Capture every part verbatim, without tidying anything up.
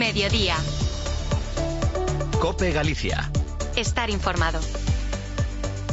Mediodía. COPE Galicia. Estar informado.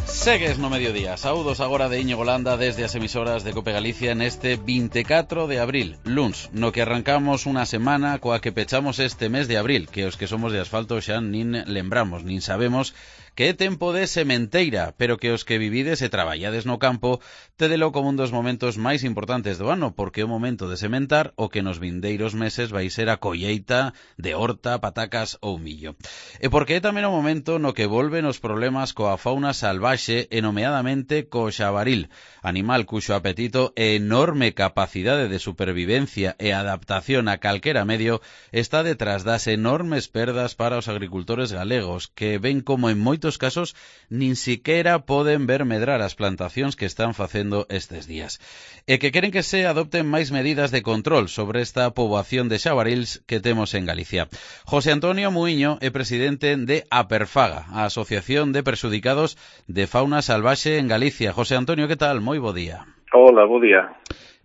Segues no mediodía. Saúdos agora de Íñigo Landa desde as emisoras de COPE Galicia neste vinte e catro de abril, luns, no que arrancamos unha semana coa que pechamos este mes de abril, que os que somos de asfalto xa nin lembramos, nin sabemos que é tempo de sementeira, pero que os que vivides e traballades no campo tédelo como un dos momentos máis importantes do ano, porque é o momento de sementar o que nos vindeiros meses vai ser a colleita de horta, patacas ou millo. E porque é tamén o momento no que volven os problemas coa fauna salvaxe e nomeadamente co xabaril, animal cuxo apetito e enorme capacidade de supervivencia e adaptación a calquera medio está detrás das enormes perdas para os agricultores galegos, que ven como en moitos casos nin siquera poden ver medrar as plantacións que están facendo estes días. E que queren que se adopten máis medidas de control sobre esta poboación de xabarils que temos en Galicia. José Antonio Muiño é presidente de Aperfaga, a Asociación de Perxudicados de Fauna Salvaxe en Galicia. José Antonio, que tal? Moi bo día. Hola, bo día.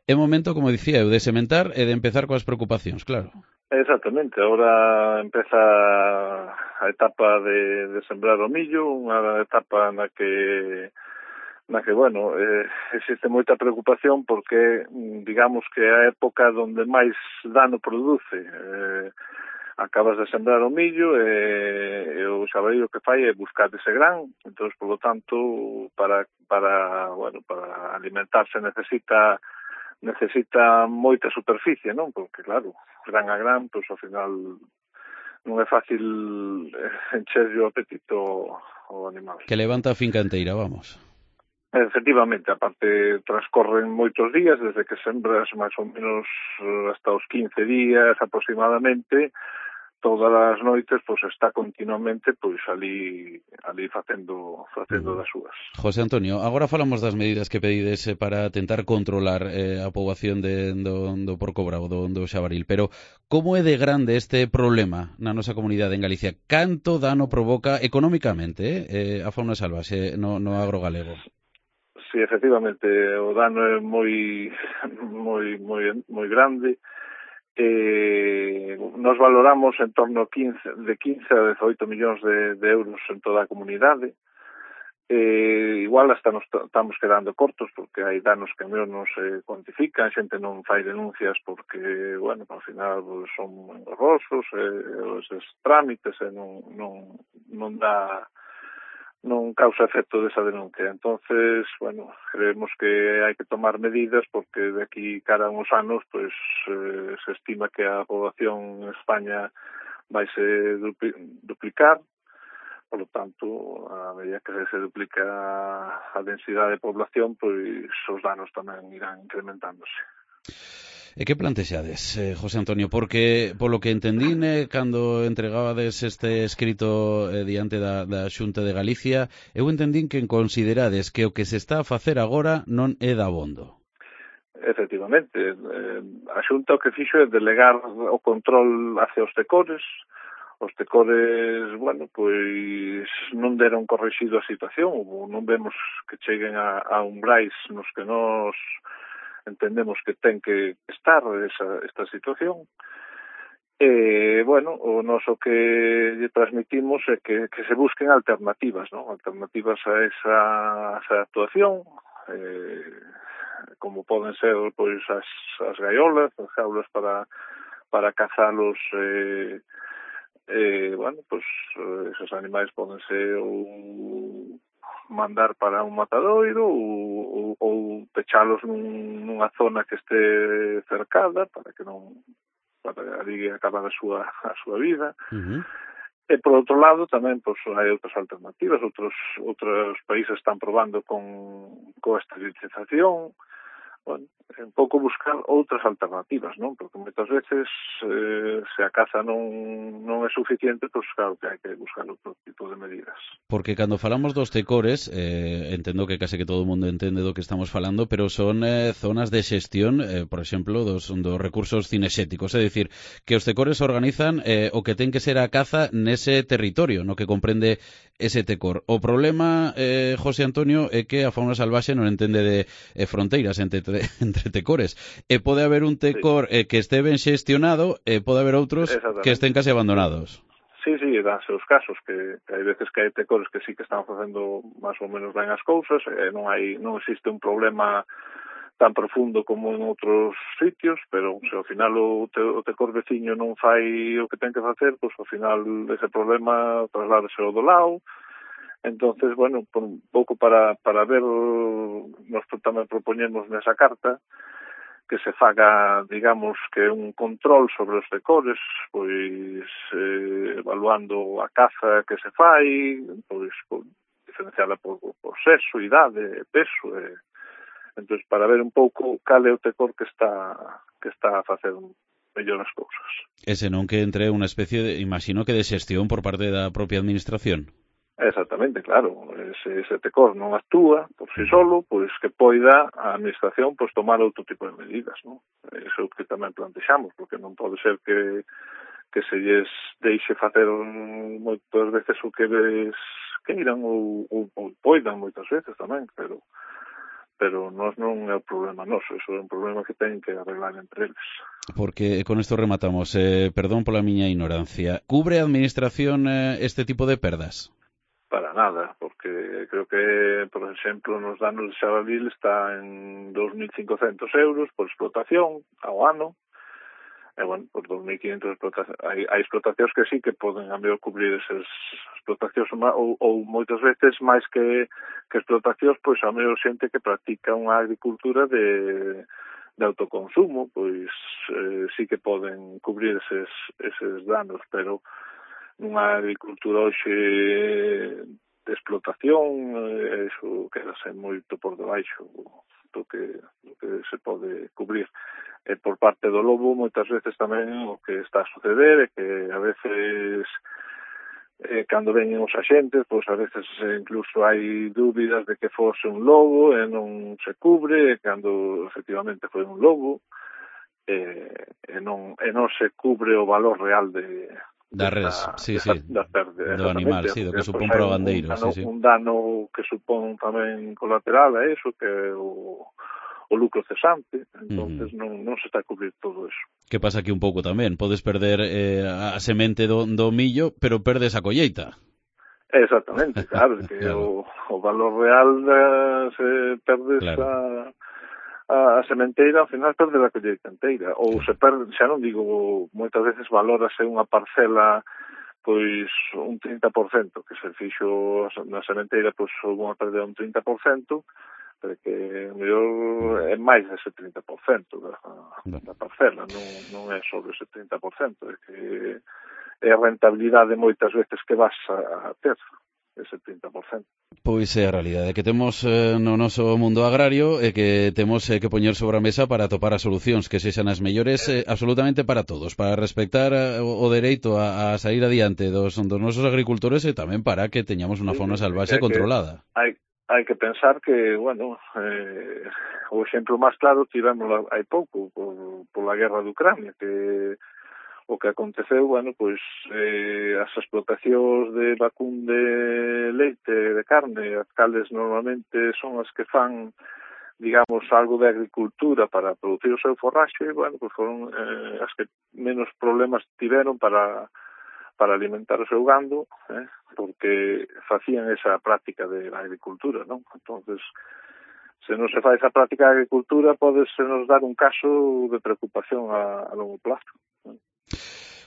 É momento, como dicía eu, de sementar e de empezar coas preocupacións, claro. Exactamente, ahora empeza a etapa de, de sembrar o millo, unha etapa na que, na que bueno, eh, existe moita preocupación porque, digamos que é a época onde máis dano produce. Eh, acabas de sembrar o millo e, e o xabaril que fai é buscar ese gran, entón, por lo tanto, para, para, bueno, para alimentarse necesita necesita moita superficie, non? Porque, claro, gran a gran, pois, ao final, non é fácil encherlle o apetito ao animal. Que levanta a finca enteira, vamos. Efectivamente, aparte, transcorren moitos días, desde que sembras máis ou menos hasta os quince días aproximadamente, todas as noites, pois, está continuamente, pois, ali ali facendo facendo das súas. José Antonio, agora falamos das medidas que pedides para tentar controlar eh, a poboación de, do, do porco bravo, do, do xabaril, pero como é de grande este problema na nosa comunidade en Galicia? Canto dano provoca económicamente eh, a fauna salvaxe no, no agro galego? Sí, efectivamente, o dano é moi moi moi moi grande. Eh, nos valoramos en torno quince, de quince a dezoito millóns de, de euros en toda a comunidade. Eh, igual hasta nos estamos quedando cortos porque hai danos que non se cuantifican, xente non fai denuncias porque, bueno, ao final pues, son engorrosos, eh, esos trámites e non, non, non dá non causa efecto desa denuncia. Entonces, bueno, creemos que hai que tomar medidas porque de aquí cara a uns anos pues, eh, se estima que a poboación en España vai se dupli- duplicar. Por lo tanto, a medida que se duplica a densidade de población, pois os danos tamén irán incrementándose. E que plantexades, eh, José Antonio? Porque, polo que entendín, eh, cando entregabades este escrito eh, diante da, da Xunta de Galicia, eu entendín que considerades que o que se está a facer agora non é dabondo. Efectivamente, eh, a Xunta o que fixo é delegar o control hacia os tecores. Os tecores, bueno, pois non deron correxido a situación, ou non vemos que cheguen a, a umbrais nos que nos entendemos que ten que estar esa, esta situación. E, bueno, o noso que lle transmitimos é que, que se busquen alternativas, ¿no? Alternativas a esa, a esa actuación, eh, como poden ser, pois, as, as gaiolas, as jaulas para, para cazalos, eh, eh, bueno, pois, esos animais poden ser ou mandar para un matadoiro ou, ou, ou pechalos nun, nunha zona que este cercada para que non para ali acabar a súa a súa vida. Uh-huh. E por outro lado tamén pois hai outras alternativas, outros outros países están probando con coa esterilización. Bueno, un pouco buscar outras alternativas, non? Porque moitas veces eh, se a caza non, non é suficiente, pois claro que hai que buscar outro tipo de medidas. Porque cando falamos dos tecores, eh, entendo que case que todo o mundo entende do que estamos falando, pero son eh, zonas de xestión, eh, por exemplo, dos, dos recursos cinexéticos, é dicir, que os tecores organizan eh, o que ten que ser a caza nese territorio, no que comprende ese tecor. O problema, eh, José Antonio, é que a fauna salvaxe non entende de eh, fronteiras, entende entre entre tecores. E pode haber un tecor sí. eh, que este ben xestionado e pode haber outros que estén case abandonados. Sí, sí, danse os casos que, que hai veces que hai tecores que sí que están facendo máis ou menos ben as cousas, e non hai non existe un problema tan profundo como en outros sitios, pero se ao final o, te, o tecor veciño non fai o que ten que facer, pois ao final ese problema trasládase ao do lado. Entonces, bueno, por un pouco para, para ver, nós tamén propoñemos nesa carta que se faga, digamos, que un control sobre os tecores, pois eh, evaluando a caza que se fai, pois por, diferenciada por, por sexo, idade, peso, e, entón, para ver un pouco cal é o tecor que está que está a facer mellor as cousas. Ese non que entre unha especie de, imagino que de xestión por parte da propia administración. Exactamente, claro. Se ese tecor non actúa por si solo, pois que poida a administración pois tomar outro tipo de medidas, non? Eso que tamén plantexamos, porque non pode ser que que se lles deixe facer moitas veces o que les queiran ou, ou, ou poidan moitas veces tamén, pero pero nós non é o problema noso, eso é un problema que teñen que arreglar entre eles. Porque con isto rematamos, eh, perdón pola miña ignorancia, cubre a administración eh, este tipo de perdas? Para nada, porque creo que, por exemplo, nos danos de xabalil está en dos mil cincocentos euros por explotación ao ano, e, bueno, por dos mil quinhentos explotacións. Hai, hai explotacións que sí que poden a mellor cubrir esas explotacións, ou, ou moitas veces máis que, que explotacións, pois a mellor xente que practica unha agricultura de, de autoconsumo, pois eh, sí que poden cubrir eses, eses danos, pero nunha agricultura hoxe de explotación, eh, iso quedase moito por debaixo do que, do que se pode cubrir. E por parte do lobo, moitas veces tamén o que está a suceder é que a veces eh, cando veñen os axentes, pois a veces eh, incluso hai dúbidas de que fose un lobo e non se cubre, e cando efectivamente foi un lobo e, e, non, e non se cubre o valor real de da res, da, sí, da, sí, da perde, do animal, sí, do que supón para o gandeiro, un dano, sí, sí. un dano que supón tamén colateral a eso, que é o, o lucro cesante, entonces uh-huh. non, non se está a cubrir todo eso. Que pasa aquí un pouco tamén, podes perder eh, a semente do, do millo, pero perdes a colleita. Exactamente, claro, que claro. O, o valor real eh, se perde claro. a a sementeira, ao final perde a colleita inteira, ou se perde, xa non digo, moitas veces valórase unha parcela pois un trinta por cento, que se fixo na sementeira, pois houve unha perda un trinta por cento, pero que mellor é máis dese trinta por cento da, da parcela, non, non é sobre ese trinta por cento, é que é a rentabilidade moitas veces que vas a ter, ese trinta por cento. Pois é a realidade que temos eh, no noso mundo agrario e que temos eh, que poñer sobre a mesa para atopar as solucións que sexan as mellores eh, absolutamente para todos, para respectar eh, o dereito a, a sair adiante dos, dos nosos agricultores e tamén para que teñamos unha fauna salvaxe controlada. Hai, hai que pensar que, bueno, eh, o exemplo máis claro tivemos hai pouco por, por a guerra de Ucrania, que o que aconteceu, bueno, pois eh, as explotacións de vacún de leite, de carne, as cales normalmente son as que fan, digamos, algo de agricultura para producir o seu forraxe, bueno, pois foron eh, as que menos problemas tiveron para para alimentar o seu gando, eh, porque facían esa práctica de agricultura, non? Entonces, se non se fai esa práctica de agricultura, pode se nos dar un caso de preocupación a, a longo plazo, non?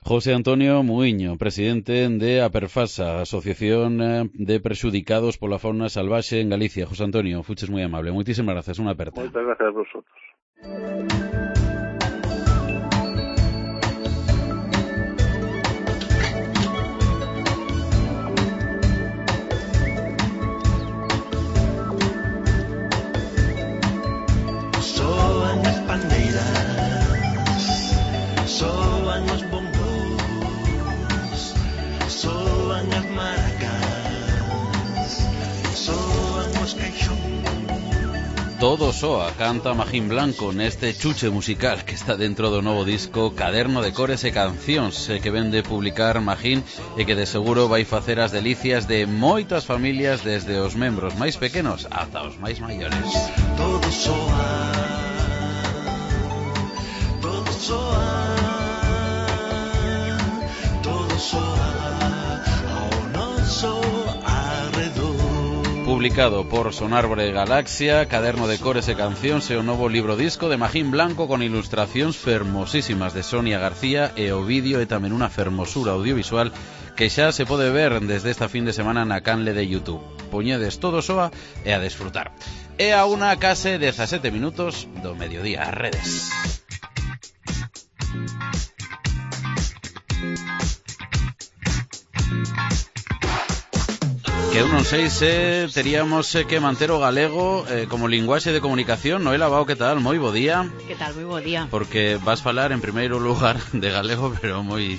José Antonio Muiño, presidente de Aperfasa, Asociación de Prexudicados pola Fauna Salvaxe en Galicia. José Antonio, fuches moi amable. Moitísimas gracias, unha aperta. Moitas gracias a vosotros. Soan as pandeiras, soan os bombos, soan as maracas, soan os caixón. Todo soa, canta Magín Blanco neste chuche musical que está dentro do novo disco Caderno de Cores e Cancións que vende publicar Magín e que de seguro vai facer as delicias de moitas familias desde os membros máis pequenos ata os máis maiores. Todo soa. soa, todo soa ao noso arredor. Publicado por Sonarbre Galaxia, Caderno de Cores e Cancións e o novo libro disco de Magín Blanco con ilustracións fermosísimas de Sonia García e o vídeo e tamén unha fermosura audiovisual que xa se pode ver desde esta fin de semana na canle de YouTube. Poñedes todo soa e a desfrutar. E a unha case dezasete minutos do mediodía as redes. Que eu non sei se teríamos que manter o galego eh, como linguaxe de comunicación. Noela Bao, que tal? Moi bo día. Que tal? Moi bo día. Porque vas falar en primeiro lugar de galego, pero moi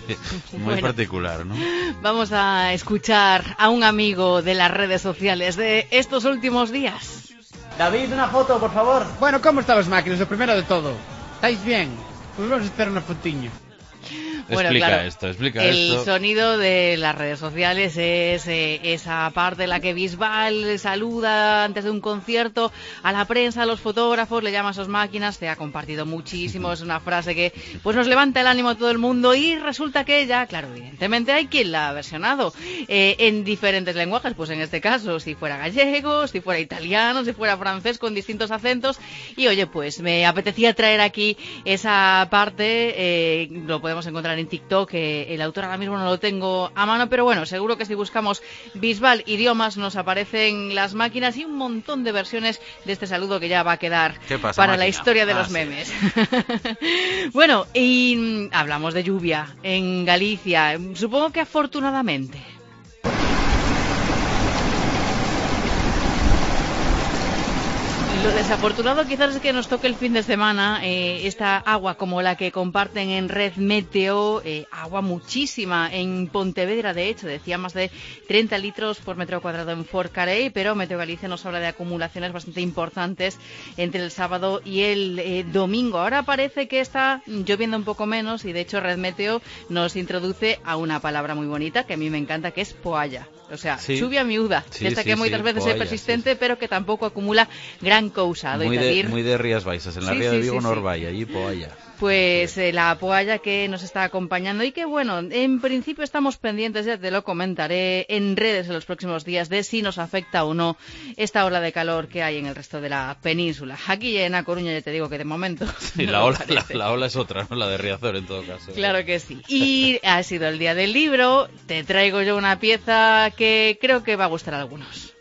moi bueno, particular, ¿no? Vamos a escuchar a un amigo de las redes sociales de estos últimos días. David, una foto, por favor. Bueno, ¿cómo están las máquinas? Lo primero de todo. ¿Estáis bien? Pues vamos a esperar una fotiño. Bueno, explica claro, esto, explica el esto. El sonido de las redes sociales es eh, esa parte en la que Bisbal saluda antes de un concierto a la prensa, a los fotógrafos, le llama a sus máquinas, se ha compartido muchísimo, es una frase que pues nos levanta el ánimo a todo el mundo y resulta que ella, claro, evidentemente hay quien la ha versionado eh, en diferentes lenguajes, pues en este caso, si fuera gallego, si fuera italiano, si fuera francés, con distintos acentos, y oye, pues me apetecía traer aquí esa parte, eh, lo podemos encontrar en TikTok, eh, el autor ahora mismo no lo tengo a mano, pero bueno, seguro que si buscamos Bisbal idiomas nos aparecen las máquinas y un montón de versiones de este saludo que ya va a quedar pasa, para máquina? la historia de ah, los sí. memes. Bueno, y mm, hablamos de lluvia en Galicia, supongo que afortunadamente. Lo desafortunado quizás es que nos toque el fin de semana eh, esta agua como la que comparten en Red Meteo, eh, agua muchísima en Pontevedra, de hecho, decía más de treinta litros por metro cuadrado en Forcarei, pero Meteo Galicia nos habla de acumulaciones bastante importantes entre el sábado y el eh, domingo. Ahora parece que está lloviendo un poco menos y de hecho Red Meteo nos introduce a una palabra muy bonita que a mí me encanta, que es poalla. O sea, sí. Chuvia miúda, sí, esta sí, que moitas sí, veces poalla, é persistente, sí. Pero que tampouco acumula gran cousa. Moi de, moi de Rías Baixas, en la sí, ría sí, de Vigo sí, non vai, allí poalla. Pues eh, la poalla que nos está acompañando y que bueno, en principio estamos pendientes, ya te lo comentaré en redes en los próximos días, de si nos afecta o no esta ola de calor que hay en el resto de la península. Aquí en A Coruña ya te digo que de momento sí, no la, ola, la, la ola es otra, ¿no? La de Riazor en todo caso. Claro que sí. Y ha sido el día del libro, te traigo yo una pieza que creo que va a gustar a algunos.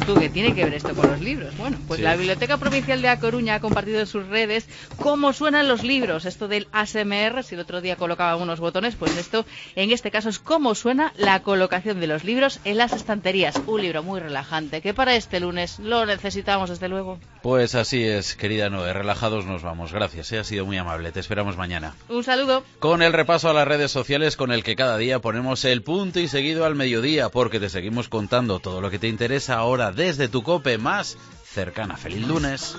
Tú, que tiene que ver esto con los libros. Bueno, pues sí. La Biblioteca Provincial de A Coruña ha compartido en sus redes cómo suenan los libros. Esto del A S M R, si el otro día colocaba unos botones, pues esto en este caso es cómo suena la colocación de los libros en las estanterías. Un libro muy relajante que para este lunes lo necesitamos desde luego. Pues así es, querida Noé, relajados nos vamos. Gracias, eh, ha sido muy amable, te esperamos mañana. Un saludo. Con el repaso a las redes sociales con el que cada día ponemos el punto y seguido al mediodía, porque te seguimos contando todo lo que te interesa ahora desde tu COPE más cercana. ¡Feliz lunes!